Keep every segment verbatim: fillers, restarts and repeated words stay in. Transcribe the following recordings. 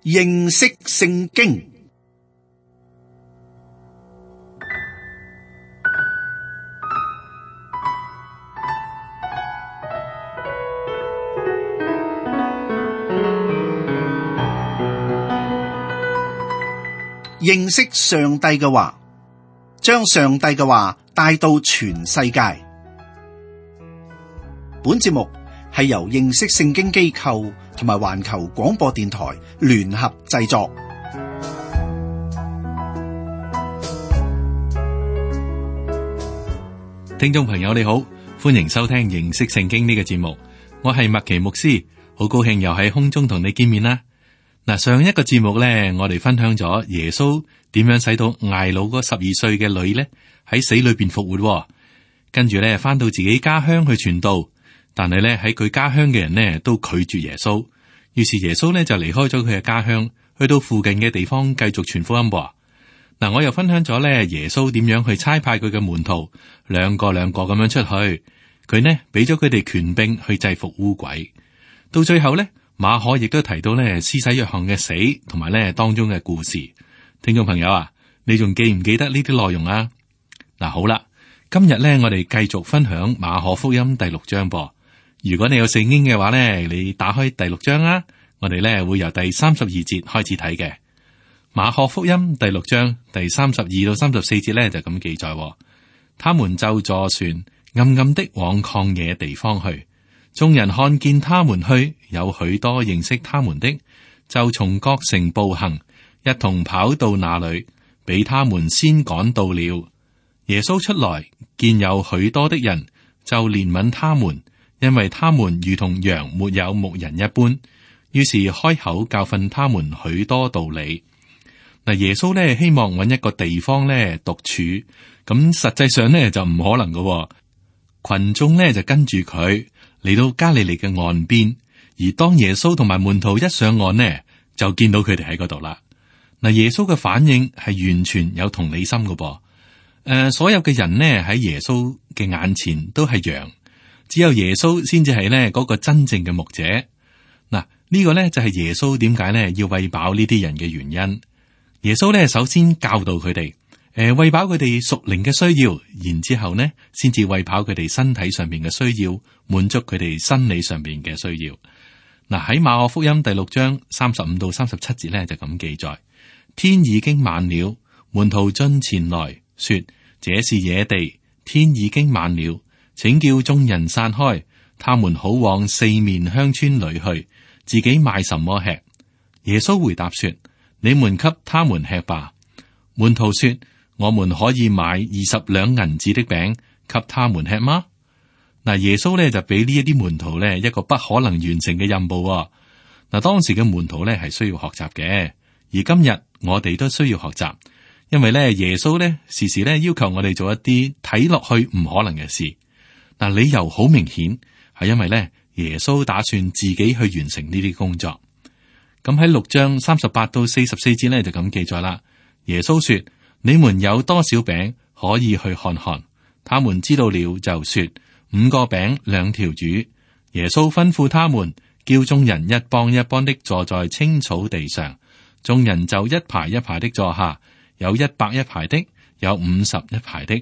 認識聖經。認識上帝嘅話，將上帝嘅話帶到全世界。本節目係由認識聖經機構同埋環球廣播電台聯合製作。聽眾朋友你好，歡迎收聽認識聖經呢個節目，我係麥奇牧師，好高興又喺空中同你見面啦。嗱，上一個節目咧，我哋分享咗耶穌點樣使到睚魯嗰十二歲嘅女咧喺死裏邊復活，跟住咧翻到自己家鄉去傳道，但係咧喺佢家鄉嘅人呢都拒絕耶穌，於是耶穌咧就離開咗佢嘅家鄉，去到附近嘅地方繼續傳福音噃。嗱，我又分享咗咧耶穌點樣去差派佢嘅門徒兩個兩個咁樣出去，佢呢俾咗佢哋權柄去制服污鬼，到最後咧。馬可亦都提到咧施洗約翰嘅死同埋咧當中嘅故事，聽眾朋友啊，你仲記唔記得呢啲內容啊？嗱，好啦，今日咧我哋繼續分享馬可福音第六章噃。如果你有聖經嘅話咧，你打開第六章啊，我哋咧會由第三十二節開始睇嘅。馬可福音第六章第三十二到三十四節咧就咁記載，他們就坐船暗暗的往曠野地方去。眾人看見他們去，有許多認識他們的，就從各城步行，一同跑到那裏，比他們先趕到了。耶穌出來，見有許多的人，就憐憫他們，因為他們如同羊沒有牧人一般。於是開口教訓他們許多道理。嗱，耶穌咧希望揾一個地方咧獨處，咁實際上咧就唔可能㗎。群眾咧就跟住佢。嚟到加利利嘅岸邊，而當耶穌同埋門徒一上岸呢，就見到佢哋喺嗰度啦。嗱，耶穌嘅反應係完全有同理心嘅噃。誒、呃，所有嘅人呢喺耶穌嘅眼前都係羊，只有耶穌先至係呢嗰個真正嘅牧者。嗱，呢、這個呢就係耶穌點解呢要餵飽呢啲人嘅原因。耶穌呢首先教導佢哋。誒，餵飽佢哋屬靈嘅需要，然之後呢，先至餵飽佢哋身體上面嘅需要，滿足佢哋生理上面嘅需要。嗱，喺馬可福音第六章三十五到三十七節呢，就咁記載：天已經晚了，門徒進前來說：這是野地，天已經晚了，請叫眾人散開，他們好往四面鄉村裏去，自己買什麼吃。耶穌回答說：你們給他們吃吧。門徒說：我們可以買二十兩銀子的餅給他們吃嗎？嗱，耶穌咧就俾呢一啲門徒咧一個不可能完成嘅任務。嗱，當時嘅門徒咧係需要學習嘅，而今日我哋都需要學習，因為咧耶穌咧時時咧要求我哋做一啲睇落去唔可能嘅事。嗱，理由好明顯，係因為咧耶穌打算自己去完成呢啲工作。咁喺六章三十八到四十四節咧就咁記載啦。耶穌說：你們有多少餅可以去看看？他們知道了就說：五個餅兩條魚。耶穌吩咐他們，叫眾人一幫一幫的坐在青草地上。眾人就一排一排的坐下，有一百一排的，有五十一排的。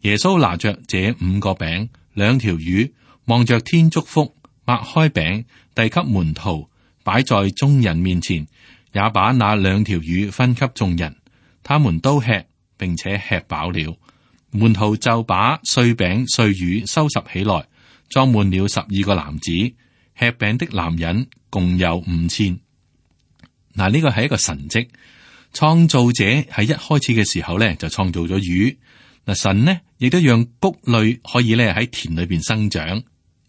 耶穌拿着這五個餅兩條魚，望着天祝福，擘開餅遞給門徒，擺在眾人面前，也把那兩條魚分給眾人。他們都吃，並且吃飽了。門徒就把碎餅碎魚收拾起來，裝滿了十二個籃子。吃餅的男人共有五千。嗱，呢個係一個神蹟。創造者喺一開始嘅時候咧，就創造咗魚。嗱，神呢亦都讓穀類可以咧喺田裏邊生長。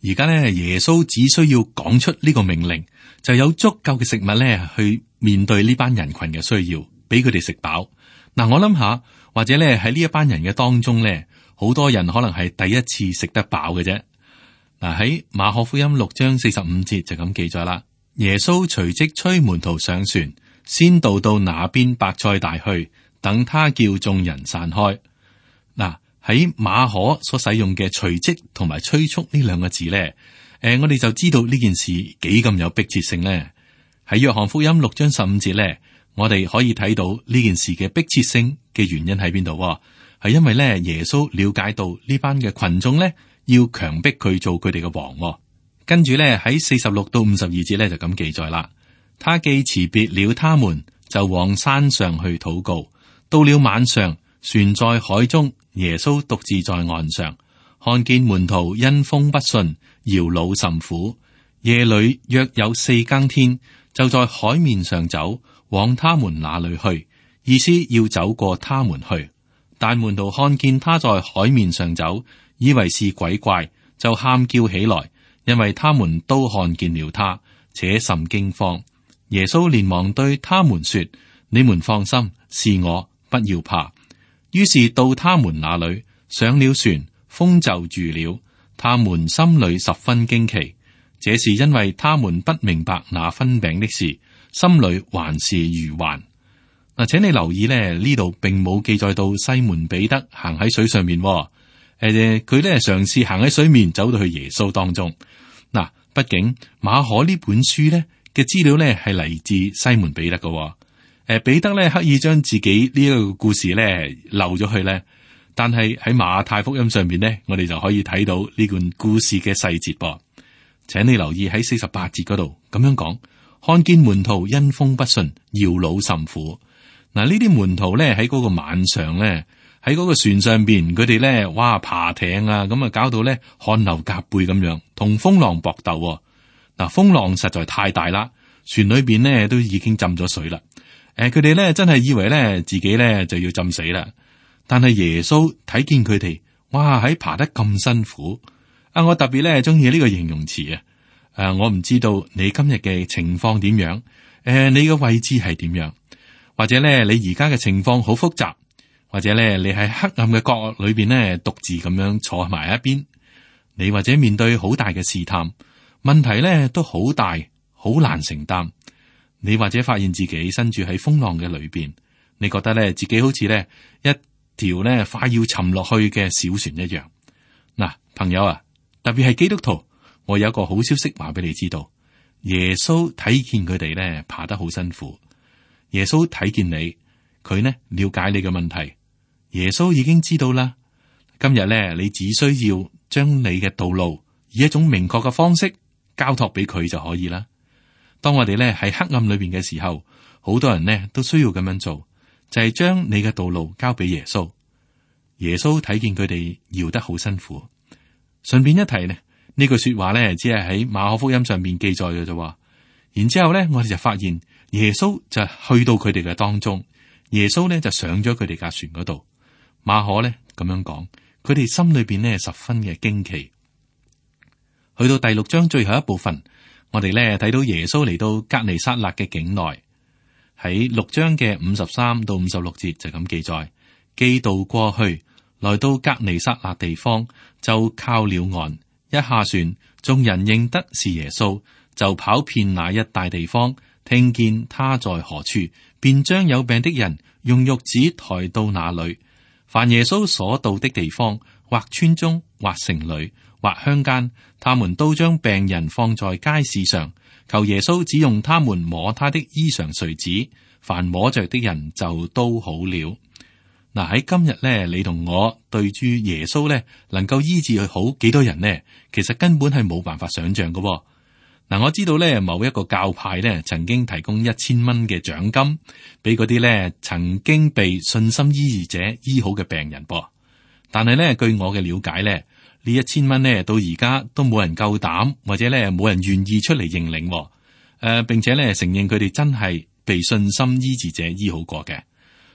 而家咧，耶穌只需要講出呢個命令，就有足夠嘅食物咧去面對呢班人群嘅需要，俾佢哋食飽。嗱，我諗下，或者咧喺呢一班人嘅當中咧，好多人可能係第一次食得飽嘅啫。嗱，喺馬可福音六章四十五節就咁記載啦。耶穌隨即催門徒上船，先渡到那邊伯賽大去，等他叫眾人散開。嗱，喺馬可所使用嘅隨即同埋催促呢兩個字咧，誒，我哋就知道呢件事幾咁有迫切性咧。喺約翰福音六章十五節咧，我哋可以睇到呢件事嘅迫切性嘅原因喺邊度？係因為咧耶穌了解到呢班嘅群眾咧要強迫佢做佢哋嘅王。跟住咧喺四十六到五十二節咧就咁記載啦。他既辭別了他們，就往山上去禱告。到了晚上，船在海中，耶穌獨自在岸上，看見門徒因風不順，搖腦甚苦。夜裏約有四更天，就在海面上走，往他們那裏去，意思要走過他們去。但門徒看見他在海面上走，以為是鬼怪，就喊叫起來，因為他們都看見了他，且甚驚慌。耶穌連忙對他們說：你們放心，是我，不要怕。於是到他們那裏，上了船，風就住了。他們心裏十分驚奇，這是因為他們不明白那分餅的事，心裏還是愚頑。嗱，請你留意咧，呢度並冇記載到西門彼得行喺水上面。誒、呃，佢咧嘗試行喺水面，走到去耶穌當中。嗱，畢竟馬可呢本書咧嘅資料咧係嚟自西門彼得嘅。誒、呃，彼得咧刻意將自己呢一個故事咧漏咗去咧，但係喺馬太福音上邊咧，我哋就可以睇到呢段故事嘅細節噃。請你留意喺四十八節嗰度咁樣講，看見門徒因風不順，搖腦甚苦。嗱，呢啲門徒咧喺嗰個晚上咧，喺嗰個船上邊，佢哋咧哇爬艇啊，咁啊搞到咧汗流浹背咁樣，同風浪搏鬥。嗱，風浪實在太大啦，船裏邊咧都已經浸咗水啦。誒，佢哋咧真係以為咧自己咧就要浸死啦。但係耶穌睇見佢哋，哇喺爬得咁辛苦啊！我特別咧中意呢個形容詞啊。誒，我唔知道你今日嘅情況點樣，誒，你嘅位置係點樣，或者咧你而家嘅情況好複雜，或者咧你喺黑暗嘅角落裏邊咧獨自咁樣坐埋一邊，你或者面對好大嘅試探，問題咧都好大，好難承擔。你或者發現自己身處喺風浪嘅裏邊，你覺得咧自己好似咧一條咧快要沉落去嘅小船一樣。嗱，朋友啊，特別係基督徒，我有一個好消息話俾你知道，耶穌睇見佢哋咧爬得好辛苦，耶穌睇見你，佢呢了解你嘅問題，耶穌已經知道啦。今日咧，你只需要將你嘅道路以一種明確嘅方式交託俾佢就可以啦。當我哋咧喺黑暗裏邊嘅時候，好多人呢都需要咁樣做，就係將你嘅道路交俾耶穌。耶穌睇見佢哋搖得好辛苦，順便一提呢，呢句說話咧只係喺馬可福音上面記載嘅啫。然之後咧，我哋就發現耶穌就去到佢哋嘅當中，耶穌咧就上咗佢哋架船嗰度。馬可咧咁樣講，佢哋心裏邊呢十分嘅驚奇。去到第六章最後一部分，我哋咧睇到耶穌嚟到革尼撒勒嘅境內，喺六章嘅五十三到五十六節就咁記載，既渡過去，來到革尼撒勒地方，就靠了岸，一下船，眾人認得是耶穌，就跑遍那一帶地方，聽見他在何處，便將有病的人用褥子抬到那裏。凡耶穌所到的地方，或村中，或城裏，或鄉間，他們都將病人放在街市上，求耶穌只用他們摸他的衣裳繸子，凡摸着的人就都好了。嗱，喺今日咧，你同我對住耶穌咧，能夠醫治佢好幾多人呢？其實根本係冇辦法想象嘅。嗱，我知道咧，某一個教派咧，曾經提供一千蚊嘅獎金俾嗰啲咧曾經被信心醫治者醫好嘅病人噃。但係咧，據我嘅了解咧，呢一千蚊咧到而家都冇人夠膽，或者咧冇人願意出嚟認領。誒、呃，並且咧承認佢哋真係被信心醫治者醫好過嘅。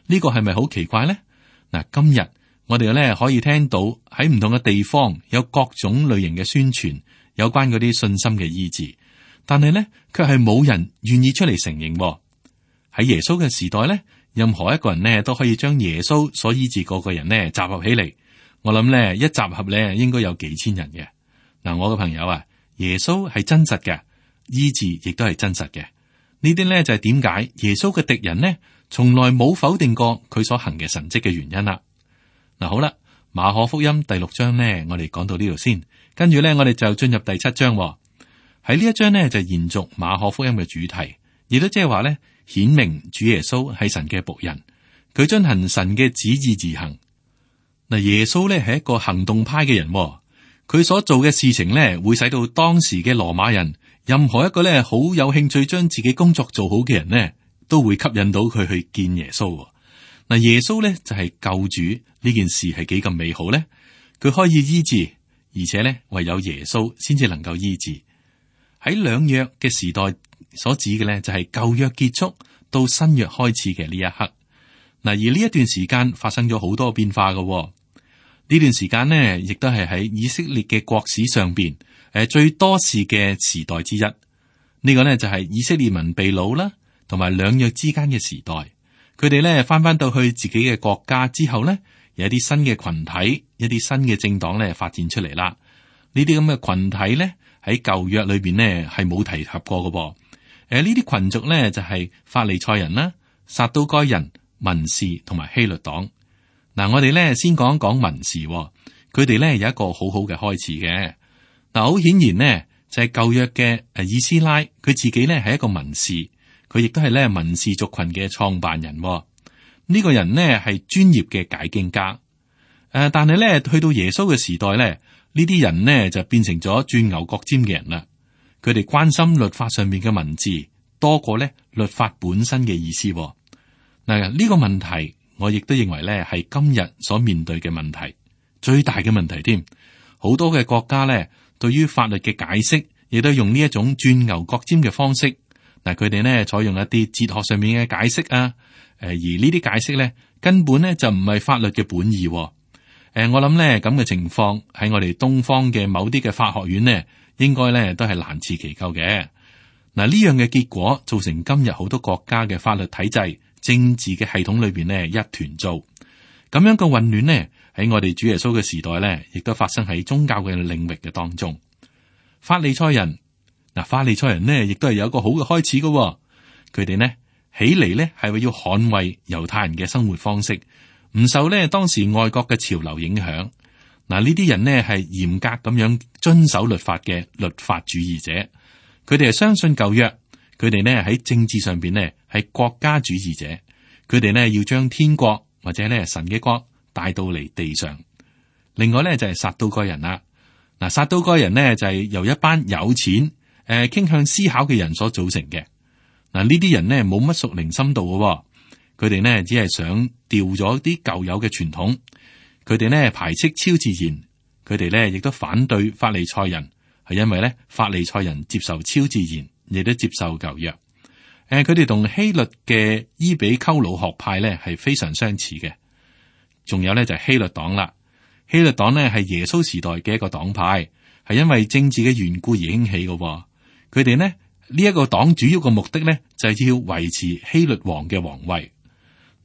呢個係咪好奇怪咧？嗱，今日我哋咧可以聽到喺唔同嘅地方有各種類型嘅宣傳，有關嗰啲信心嘅醫治，但係咧卻係冇人願意出嚟承認。喺耶穌嘅時代咧，任何一個人咧都可以將耶穌所醫治嗰個人咧集合起嚟。我諗咧一集合咧應該有幾千人嘅。嗱，我嘅朋友啊，耶穌係真實嘅，醫治亦都係真實嘅。呢啲咧就係點解耶穌嘅敵人呢，從來冇否定過佢所行嘅神蹟嘅原因啦。嗱，好啦，馬可福音第六章呢，我哋講到呢度先，跟住咧我哋就進入第七章。喺呢一章呢，就延續馬可福音嘅主題，亦都即係話咧，顯明主耶穌係神嘅僕人，佢遵行神嘅旨意而行。嗱，耶穌咧係一個行動派嘅人，佢所做嘅事情咧，會使到當時嘅羅馬人，任何一個咧好有興趣將自己工作做好嘅人呢，都會吸引到佢去見耶穌。嗱，耶穌咧就係救主，呢件事係幾咁美好咧？佢可以醫治，而且咧唯有耶穌先至能夠醫治。喺兩約嘅時代所指嘅咧，就係舊約結束到新約開始嘅呢一刻。嗱，而呢一段時間發生咗好多變化嘅。呢段時間呢，亦都係喺以色列嘅國史上邊誒最多事嘅時代之一。呢、這個呢，就係以色列民被擄啦，同埋兩約之間嘅時代。佢哋咧翻翻到去自己嘅國家之後呢，有一啲新嘅群體，一啲新嘅政黨咧發展出嚟啦。呢啲咁嘅群體咧喺舊約裏邊呢係冇提及過嘅噃。誒，呢啲群族咧就係法利賽人啦、撒都該人、文士同埋希律黨。嗱，我哋咧先講一講文士，佢哋咧有一個好好嘅開始嘅。嗱，好顯然呢，就係舊約嘅誒以斯拉，佢自己咧係一個文士，佢亦都係咧文士族群嘅創辦人。呢個人呢係專業嘅解經家。誒，但係咧去到耶穌嘅時代咧，呢啲人呢就變成咗鑽牛角尖嘅人啦。佢哋關心律法上面嘅文字多過咧律法本身嘅意思。嗱，呢個問題。我亦都認為咧係今日所面對嘅問題，最大嘅問題添。好多嘅國家咧，對於法律嘅解釋，亦都用呢一種鑽牛角尖嘅方式。嗱，佢哋咧採用一啲哲學上面嘅解釋啊，誒，而呢啲解釋咧根本咧就唔係法律嘅本意。誒，我諗咧咁嘅情況喺我哋東方嘅某啲嘅法學院呢，應該咧都係難辭其咎嘅。嗱，呢樣嘅結果造成今日好多國家嘅法律體制、政治嘅系統裏邊呢一團糟，咁樣嘅混亂呢喺我哋主耶穌嘅時代呢，亦都發生喺宗教嘅領域嘅當中。法利賽人嗱，法利賽人呢亦都係有一個好嘅開始嘅，佢哋呢起嚟呢係為要捍衛猶太人嘅生活方式，唔受呢當時外國嘅潮流影響。嗱，呢啲人呢係嚴格咁樣遵守律法嘅律法主義者，佢哋係相信舊約。佢哋呢喺政治上邊呢係國家主義者，佢哋呢要將天國或者呢神嘅國帶到嚟地上。另外呢就係撒都該人啦。嗱，撒都該人呢就係由一班有錢誒傾向思考嘅人所組成嘅。嗱，呢啲人呢冇乜屬靈深度嘅，佢哋呢只係想掉咗啲舊有嘅傳統。佢哋呢排斥超自然，佢哋呢亦都反對法利賽人，係因為呢法利賽人接受超自然。亦都接受舊約，誒，佢哋同希律嘅伊比溝魯學派咧係非常相似嘅。仲有咧就係希律黨啦，希律黨呢係耶穌時代嘅一個黨派，係因為政治嘅緣故而興起嘅。佢哋呢呢一個黨主要嘅目的咧就係要維持希律王嘅皇位。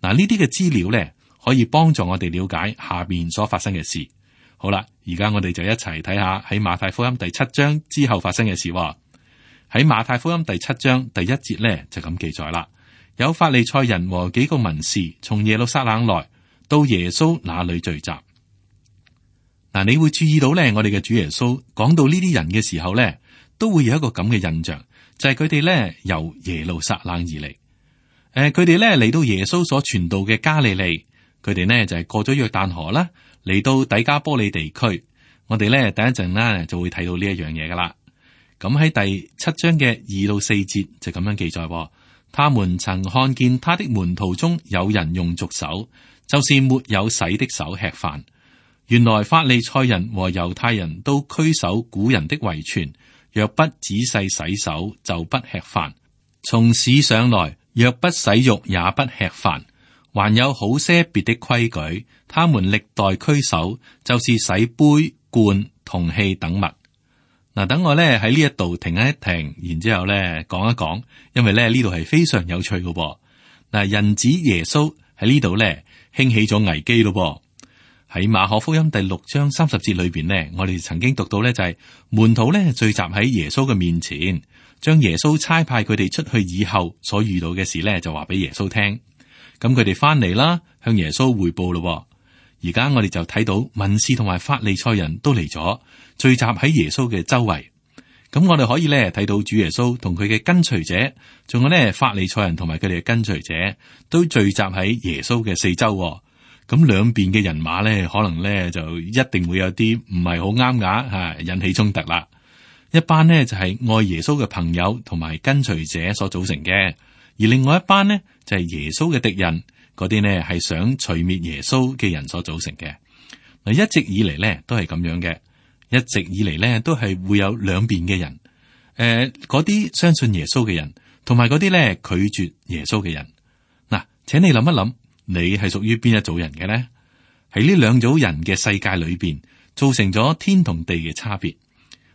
嗱，呢啲嘅資料咧可以幫助我哋了解下邊所發生嘅事。好啦，而家我哋就一齊睇下喺馬太福音第七章之後發生嘅事。喺馬太福音第七章第一節咧就咁記載啦，有法利賽人和幾個文士從耶路撒冷來到耶穌那裏聚集。嗱，你會注意到咧，我哋嘅主耶穌講到呢啲人嘅時候咧，都會有一個咁嘅印象，就係佢哋咧由耶路撒冷而嚟。誒，佢哋咧嚟到耶穌所傳道嘅加利利，佢哋呢就係過咗約旦河啦，嚟到底加波利地區。我哋咧等一陣咧就會睇到呢一樣嘢噶啦。咁喺第七章嘅二到四節就咁樣記載，他們曾看見他的門徒中有人用俗手，就是沒有洗的手吃飯。原來法利賽人和猶太人都拘守古人的遺傳，若不仔細洗手，就不吃飯。從市上來，若不洗浴，也不吃飯。還有好些別的規矩，他們歷代拘守，就是洗杯、罐、銅器等物。嗱，等我咧喺呢一度停一停，然之後咧講一講，因為咧呢度係非常有趣嘅。嗱，人子耶穌喺呢度咧興起咗危機咯。喺馬可福音第六章三十節裏邊呢，我哋曾經讀到咧就係、是、門徒咧聚集喺耶穌嘅面前，將耶穌差派佢哋出去以後所遇到嘅事咧就話俾耶穌聽。咁佢哋翻嚟啦，向耶穌匯報咯。而家我哋就睇到文士同埋法利賽人都嚟咗，聚集喺耶穌嘅周圍。咁我哋可以咧睇到主耶穌同佢嘅跟隨者，仲有咧法利賽人同埋佢哋嘅跟隨者，都聚集喺耶穌嘅四周。咁兩邊嘅人馬咧，可能咧就一定會有啲唔係好啱牙吓，引起衝突啦。一班呢就係愛耶穌嘅朋友同埋跟隨者所組成嘅，而另外一班呢就係耶穌嘅敵人，嗰啲呢係想除滅耶穌嘅人所組成嘅。嗱，一直以嚟咧都係咁樣嘅。一直以嚟咧，都係會有兩邊嘅人，誒、呃，嗰啲相信耶穌嘅人，同埋嗰啲咧拒絕耶穌嘅人。嗱，請你諗一諗，你係屬於邊一組人嘅咧？喺呢兩組人嘅世界裏邊，造成咗天同地嘅差別。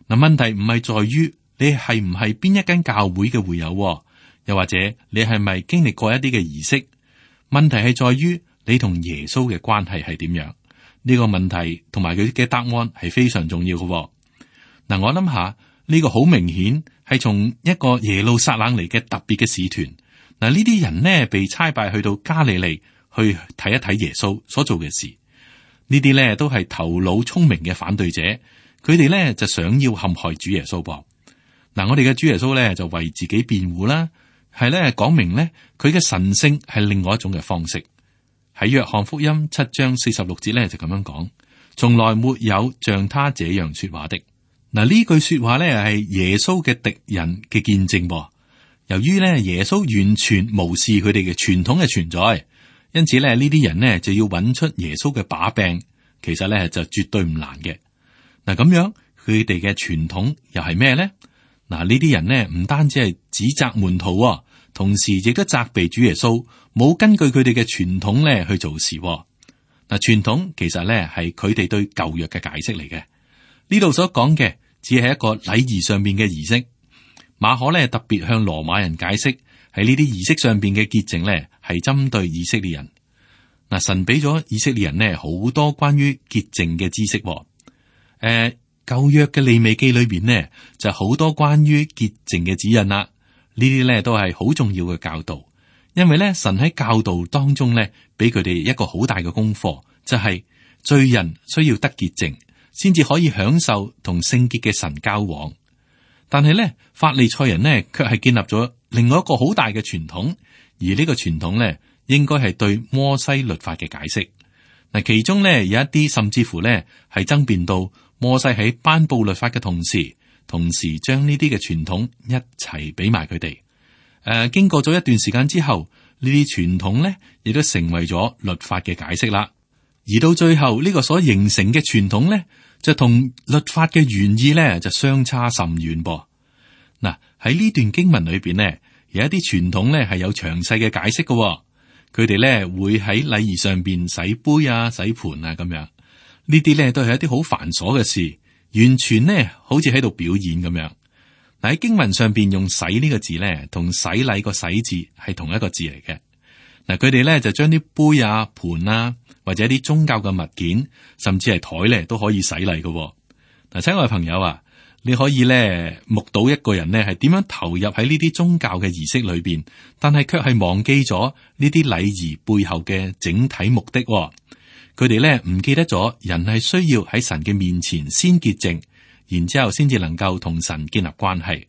嗱，問題唔係在於你係唔係邊一間教會嘅會友，又或者你係咪經歷過一啲嘅儀式？問題係在於你同耶穌嘅關係係點樣？呢個問題同埋佢嘅答案係非常重要嘅。嗱，我諗下呢個好明顯係從一個耶路撒冷嚟嘅特別嘅使團。嗱，呢啲人呢被差派去到加利利去睇一睇耶穌所做嘅事。呢啲呢都係頭腦聰明嘅反對者，佢哋呢就想要陷害主耶穌噃。嗱，我哋嘅主耶穌呢就為自己辯護啦，係呢講明呢佢嘅神聖係另外一種嘅方式。喺約翰福音七章四十六節咧就咁樣講，從來沒有像他這樣說話的。嗱，呢句說話咧係耶穌嘅敵人嘅見證。由於咧耶穌完全無視佢哋嘅傳統嘅存在，因此咧呢啲人呢就要揾出耶穌嘅把柄，其實咧就絕對唔難嘅。嗱，咁樣佢哋嘅傳統又係咩咧？嗱，呢啲人呢唔單止係指責門徒，同時亦都責備主耶穌冇根據佢哋嘅傳統咧去做事。嗱，傳統其實咧係佢哋對舊約嘅解釋嚟嘅。呢度所講嘅只係一個禮儀上邊嘅儀式。馬可咧特別向羅馬人解釋，喺呢啲儀式上邊嘅潔淨咧係針對以色列人。嗱，神俾咗以色列人呢好多關於潔淨嘅知識。誒、呃，舊約嘅利未記裏邊呢就好多關於潔淨嘅指引啦。呢啲咧都係好重要嘅教導，因為咧神喺教導當中咧俾佢哋一個好大嘅功課，就係、是、罪人需要得潔淨，先至可以享受同聖潔嘅神交往。但係咧法利賽人呢卻係建立咗另外一個好大嘅傳統，而呢個傳統咧應該係對摩西律法嘅解釋。嗱，其中咧有一啲甚至乎咧係爭辯到摩西喺頒布律法嘅同時。同時將呢啲嘅傳統一齊俾埋佢哋。誒、呃，經過咗一段時間之後，呢啲傳統咧亦都成為咗律法嘅解釋啦。而到最後呢、這個所形成嘅傳統咧，就同律法嘅原意咧就相差甚遠噃。嗱，喺呢段經文裏邊呢，有一啲傳統咧係有詳細嘅解釋嘅、哦。佢哋咧會喺禮儀上邊洗杯啊、洗盤啊咁樣。呢啲咧都係一啲好繁瑣嘅事。完全呢，好似喺度表演咁樣。嗱，喺經文上邊用洗呢個字咧，同洗禮個洗字係同一個字嚟嘅。嗱，佢哋咧就將啲杯啊、盤啊，或者啲宗教嘅物件，甚至係台咧都可以洗禮嘅。嗱，親愛嘅朋友啊，你可以咧目睹一個人呢係點樣投入喺呢啲宗教嘅儀式裏邊，但係卻係忘記咗呢啲禮儀背後嘅整體目的。佢哋咧唔記得咗，人係需要喺神嘅面前先潔淨，然之後先至能夠同神建立關係。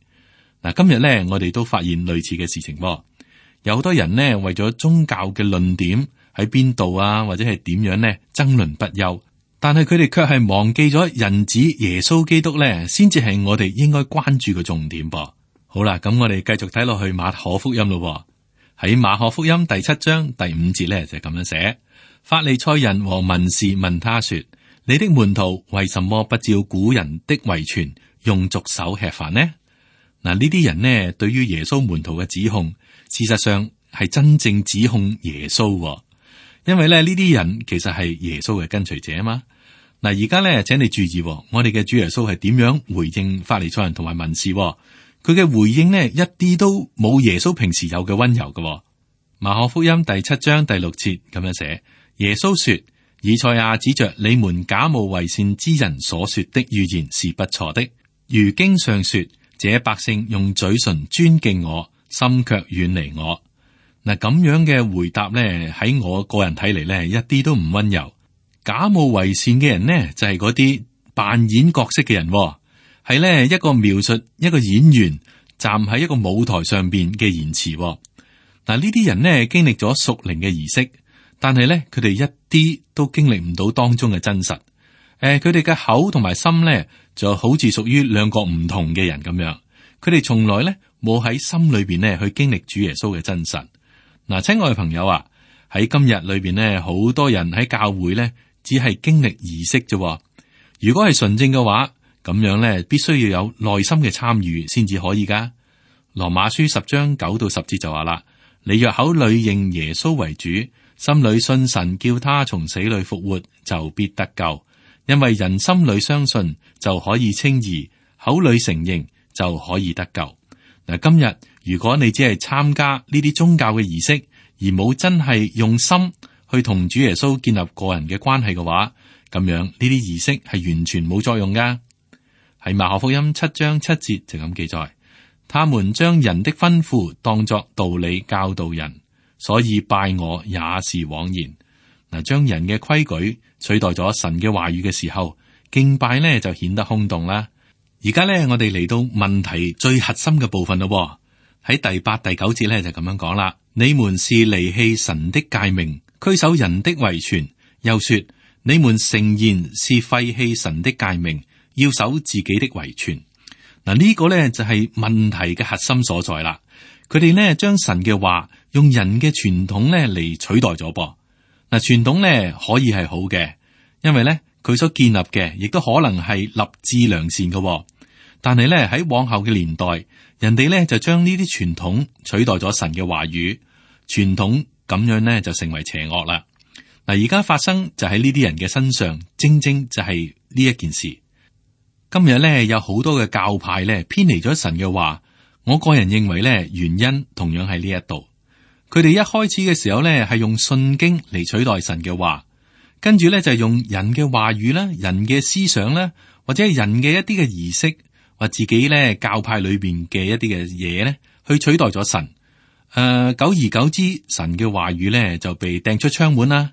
嗱，今日咧我哋都發現類似嘅事情，有好多人呢為咗宗教嘅論點喺邊度啊，或者係點樣呢爭論不休，但係佢哋卻係忘記咗人子耶穌基督咧，先至係我哋應該關注嘅重點噃。好啦，咁我哋繼續睇落去馬可福音咯。喺馬可福音第七章第五節咧就係咁樣寫。法利賽人和文士問他說：你的門徒為什麼不照古人的遺傳，用俗手吃飯呢？嗱，呢啲人呢，對於耶穌門徒嘅指控，事實上係真正指控耶穌，因為咧呢啲人其實係耶穌嘅跟隨者啊嘛。嗱，而家咧，請你注意，我哋嘅主耶穌係點樣回應法利賽人同埋文士？佢嘅回應呢，一啲都冇耶穌平時有嘅溫柔嘅。馬可福音第七章第六節咁樣寫。耶穌說：以賽亞指着你們假冒為善之人所說的預言是不錯的。如經上說：這百姓用嘴唇尊敬我，心卻遠離我。嗱，咁樣嘅回答咧，喺我個人睇嚟咧，一啲都唔溫柔。假冒為善嘅人呢，就係嗰啲扮演角色嘅人，係咧一個描述一個演員站喺一個舞台上邊嘅言辭。嗱，呢啲人呢經歷咗屬靈嘅儀式，但係咧佢哋一啲都經歷唔到當中嘅真實。誒，佢哋嘅口同埋心咧就好似屬於兩個唔同嘅人咁樣。佢哋從來咧冇喺心裏邊咧去經歷主耶穌嘅真實。嗱，親愛嘅朋友啊，喺今日裏邊咧，好多人喺教會咧只係經歷儀式啫。如果係純正嘅話，咁樣咧必須要有內心嘅參與先至可以噶。羅馬書十章九到十節就話啦：你若口裏認耶穌為主，心裏信神叫他從死裏復活，就必得救。因為人心裏相信就可以稱義，口裏承認就可以得救。嗱，今日如果你只係參加呢啲宗教嘅儀式，而冇真係用心去同主耶穌建立個人嘅關係嘅話，咁樣呢啲儀式係完全冇作用噶。喺馬可福音七章七節就咁記載，他們將人的吩咐當作道理教導人，所以拜我也是枉然。嗱，將人嘅規矩取代咗神嘅話語嘅時候，敬拜呢就顯得空洞啦。而家呢，我哋嚟到問題最核心嘅部分咯。喺第八、第九節呢，就咁樣講啦：你們是離棄神的誡命，拘守人的遺傳。又說你們誠然是廢棄神的誡命，要守自己的遺傳。嗱，呢個呢就係問題嘅核心所在啦。佢哋呢將神嘅話用人嘅傳統呢嚟取代咗噃。嗱，傳統呢可以係好嘅，因為呢佢所建立嘅亦都可能係立志良善嘅。但係呢喺往後嘅年代，人哋呢就將呢啲傳統取代咗神嘅話語，傳統咁樣呢就成為邪惡啦。嗱，而家發生就喺呢啲人嘅身上，正正就係呢一件事。今日呢有好多嘅教派呢偏離咗神嘅話，我個人認為呢原因同樣喺呢一度。佢哋一開始嘅時候呢係用信經嚟取代神嘅話，跟住呢就係用人嘅話語啦、人嘅思想啦，或者係人嘅一啲嘅儀式，或自己呢教派裏邊嘅一啲嘅嘢呢去取代咗神。誒、呃，久而久之，神嘅話語呢就被掟出窗門啦。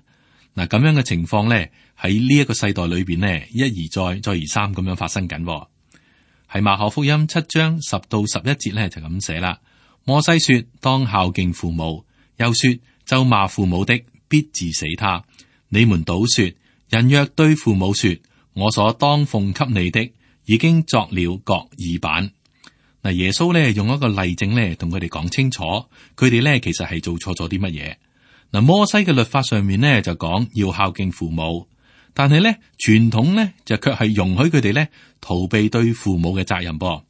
嗱，咁樣嘅情況呢喺呢一個世代裏邊呢一而再、再而三咁樣發生緊。喺馬可福音七章十到十一節呢就咁寫啦：摩西說當孝敬父母，又說咒罵父母的必治死他。你們倒說，人若對父母說我所當奉給你的，已經作了各耳板。嗱，耶穌咧用一個例證咧同佢哋講清楚，佢哋咧其實係做錯咗啲乜嘢。嗱，摩西嘅律法上面咧就講要孝敬父母，但係咧傳統咧就卻係容許佢哋咧逃避對父母嘅責任噃。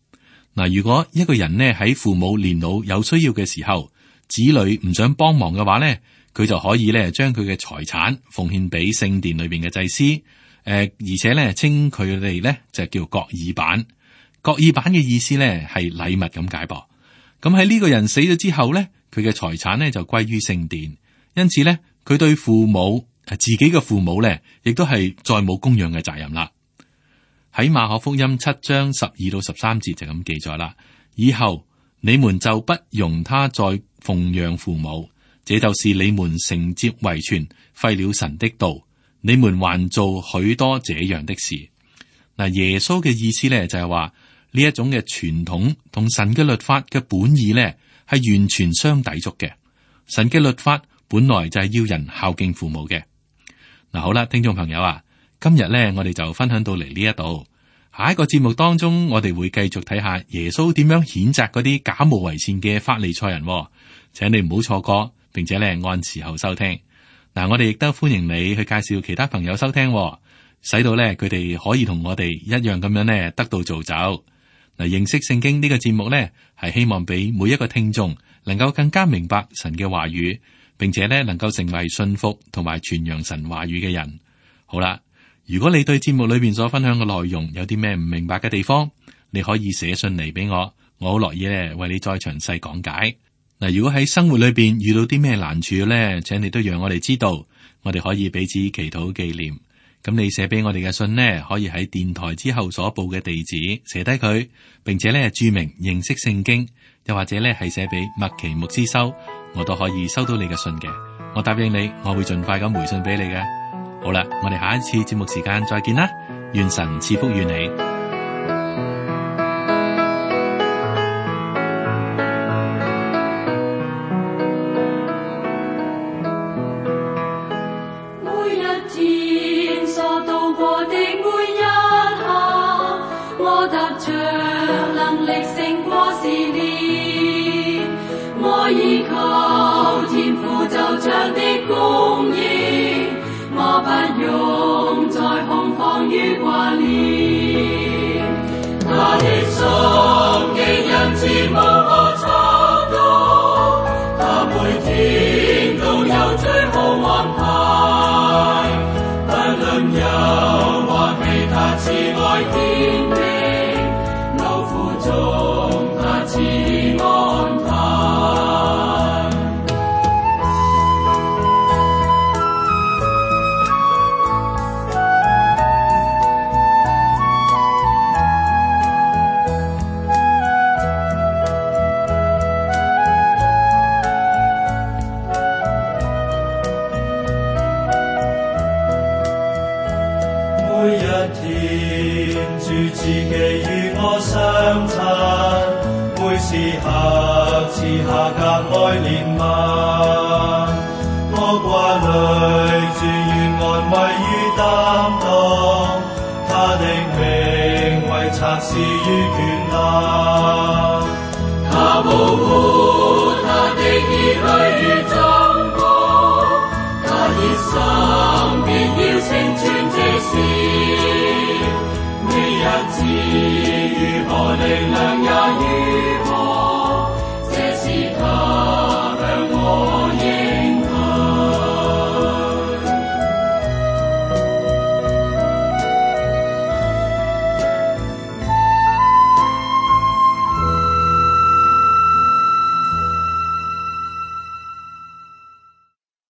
嗱，如果一個人呢喺父母年老有需要嘅時候，子女唔想幫忙嘅話咧，佢就可以咧將佢嘅財產奉獻俾聖殿裏邊嘅祭司，誒、呃，而且咧稱佢哋咧就叫各耳板。各耳板嘅意思咧係禮物咁解噃。咁喺呢個人死咗之後咧，佢嘅財產咧就歸於聖殿，因此咧佢對父母誒自己嘅父母咧，亦都係再冇供養嘅責任啦。喺馬可福音七章十二到十三節就咁記載啦。以後你們就不容他再奉養父母，這就是你們承接遺傳，廢了神的道。你們還做許多這樣的事。嗱，耶穌嘅意思咧就係話呢一種嘅傳統同神嘅律法嘅本意咧係完全相抵觸嘅。神嘅律法本來就係要人孝敬父母嘅。嗱，好啦，聽眾朋友啊，今日咧我哋就分享到嚟呢一度。下一個節目當中，我哋會繼續睇下耶穌點樣譴責嗰啲假冒為善嘅法利賽人，哦，請你唔好錯過，並且咧按時候收聽。嗱，我哋亦都歡迎你去介紹其他朋友收聽，哦，使到咧佢哋可以同我哋一樣咁樣咧得到造就。嗱，認識聖經呢個節目咧係希望俾每一個聽眾能夠更加明白神嘅話語，並且咧能夠成為信服同埋傳揚神話語嘅人。好啦。如果你對節目裏邊所分享嘅內容有啲咩唔明白嘅地方，你可以寫信嚟俾我，我好樂意咧為你再詳細講解。嗱，如果喺生活裏邊遇到啲咩難處咧，請你都讓我哋知道，我哋可以彼此祈禱紀念。咁你寫俾我哋嘅信呢，可以喺電台之後所報嘅地址寫低佢，並且咧注明認識聖經，又或者咧係寫俾麥奇牧師收，我都可以收到你嘅信嘅。我答應你，我會盡快咁回信俾你嘅。好啦，我哋下一次節目時間再見啦，願神賜福於你。長能力勝過試煉，我依靠天父就像的供應，我不用再恐慌與掛念。他的心極恩慈無可測度，他每天都有最好安排，不論憂或喜，他慈愛堅定，勞苦中他賜安排。每一天主自己與我相親，每時刻賜下格外憐憫。我掛慮主願安慰與擔當，他的名為策士與權能，他保護他的兒女如珍寶，他熱心必要成全這事。你日子如何力量也如